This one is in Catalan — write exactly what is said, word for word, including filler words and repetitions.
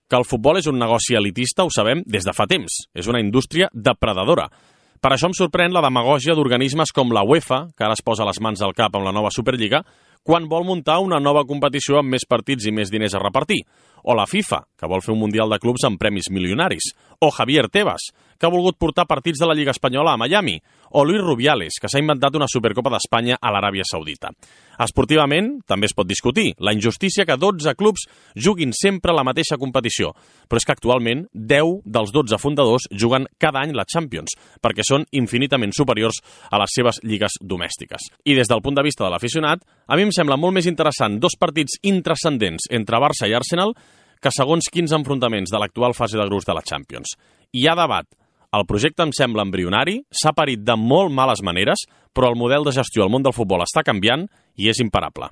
que el futbol és un negoci elitista ho sabem des de fa temps. És una indústria depredadora. Per això em sorprèn la demagògia d'organismes com la UEFA, que ara es posa les mans al cap amb la nova Superliga, quan vol muntar una nova competició amb més partits i més diners a repartir. O la FIFA, que vol fer un Mundial de Clubs amb premis milionaris. O Javier Tebas, que ha volgut portar partits de la Lliga Espanyola a Miami. O Luis Rubiales, que s'ha inventat una Supercopa d'Espanya a l'Aràbia Saudita. Esportivament, també es pot discutir la injustícia que dotze clubs juguin sempre la mateixa competició. Però és que actualment deu dels dotze fundadors juguen cada any la Champions, perquè són infinitament superiors a les seves lligues domèstiques. I des del punt de vista de l'aficionat, a mi em sembla molt més interessant dos partits intranscendents entre Barça i Arsenal que segons quins enfrontaments de l'actual fase de grups de la Champions. Hi ha debat. El projecte em sembla embrionari, s'ha parit de molt males maneres, però el model de gestió al món del futbol està canviant i és imparable.